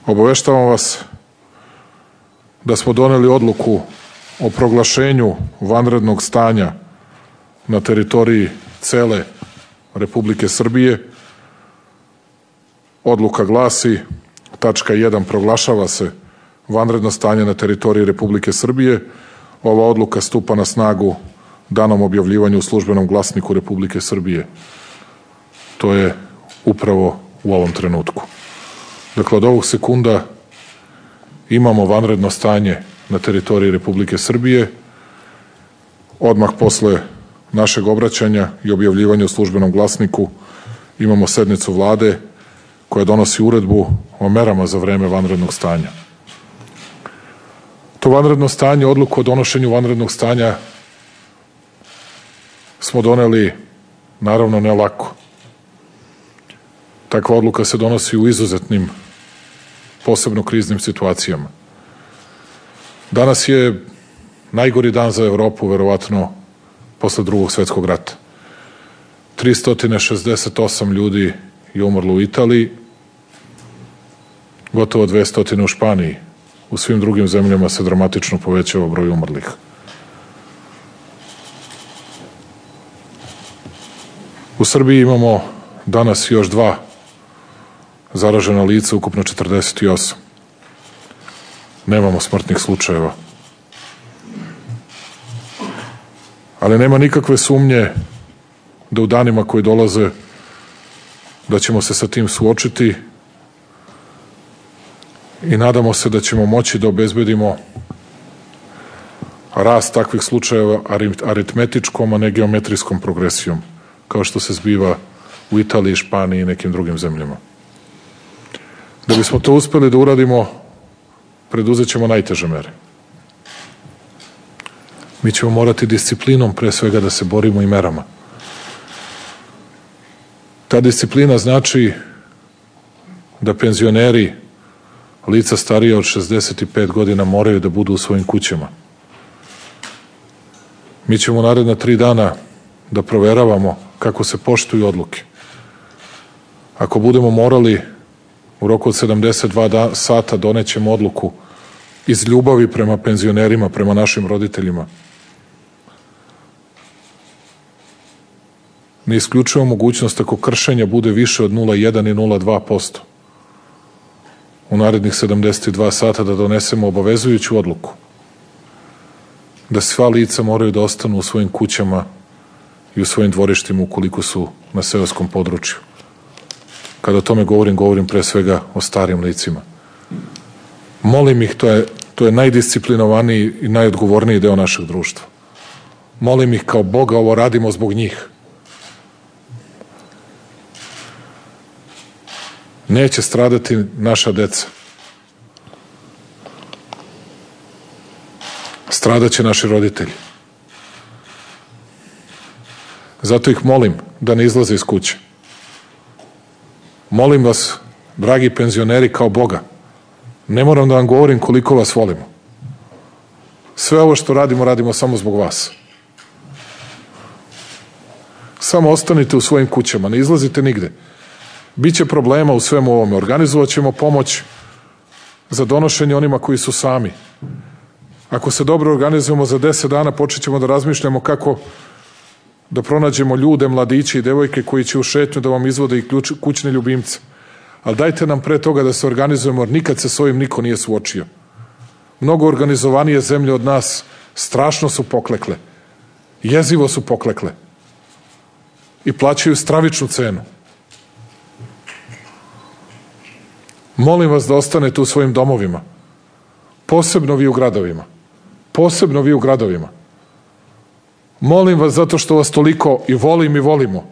Obaveštavam vas da smo doneli odluku o proglašenju vanrednog stanja na teritoriji cele Republike Srbije. Odluka glasi, tačka 1, proglašava se vanredno stanje na teritoriji Republike Srbije. Ova odluka stupa na snagu danom objavljivanja u Službenom glasniku Republike Srbije. To je upravo u ovom trenutku. Dakle, od ovog sekunda imamo vanredno stanje na teritoriji Republike Srbije. Odmah posle našeg obraćanja i objavljivanja u Službenom glasniku imamo sednicu Vlade koja donosi uredbu o merama za vreme vanrednog stanja. To vanredno stanje, odluku o donošenju vanrednog stanja smo doneli, naravno, ne lako. Takva odluka se donosi u izuzetnim, posebno kriznim situacijama. Danas je najgori dan za Evropu, verovatno, posle Drugog svetskog rata. 368 ljudi je umrlo u Italiji, gotovo 200 u Španiji. U svim drugim zemljama se dramatično povećava broj umrlih. U Srbiji imamo danas još 2 zaražena lica, ukupno 48. Nemamo smrtnih slučajeva. Ali nema nikakve sumnje da u danima koji dolaze da ćemo se sa tim suočiti i nadamo se da ćemo moći da obezbedimo rast takvih slučajeva aritmetičkom, a ne geometrijskom progresijom, kao što se zbiva u Italiji, Španiji i nekim drugim zemljama. Da bismo to uspeli da uradimo, preduzet ćemo najteže mere. Mi ćemo morati disciplinom pre svega da se borimo i merama. Ta disciplina znači da penzioneri, lica starija od 65 godina moraju da budu u svojim kućama. Mi ćemo naredna 3 dana da proveravamo kako se poštuju odluke. Ako budemo morali u roku od 72 sata donećemo odluku iz ljubavi prema penzionerima, prema našim roditeljima. Ne isključujemo mogućnost ako kršenja bude više od 0,1 i 0,2%. U narednih 72 sata da donesemo obavezujuću odluku da sva lica moraju da ostanu u svojim kućama i u svojim dvorištima ukoliko su na seoskom području. Kada o tome govorim pre svega o starim licima. Molim ih, to je najdisciplinovaniji i najodgovorniji deo našeg društva. Molim ih kao Boga, ovo radimo zbog njih. Neće stradati naša deca. Stradaće naši roditelji. Zato ih molim da ne izlaze iz kuće. Molim vas, dragi penzioneri, kao Boga, ne moram da vam govorim koliko vas volimo. Sve ovo što radimo, radimo samo zbog vas. Samo ostanite u svojim kućama, ne izlazite nigde. Biće problema u svemu ovome. Organizovat ćemo pomoć za donošenje onima koji su sami. Ako se dobro organizujemo, za 10 dana počet ćemo da razmišljamo kako da pronađemo ljude, mladiće i devojke koji će u šetnju da vam izvode i kućne ljubimce. Ali dajte nam pre toga da se organizujemo, jer nikad se s ovim niko nije suočio. Mnogo organizovanije zemlje od nas strašno su poklekle. Jezivo su poklekle. I plaćaju stravičnu cenu. Molim vas da ostanete u svojim domovima. Posebno vi u gradovima. Posebno vi u gradovima. Molim vas zato što vas toliko i volim i volimo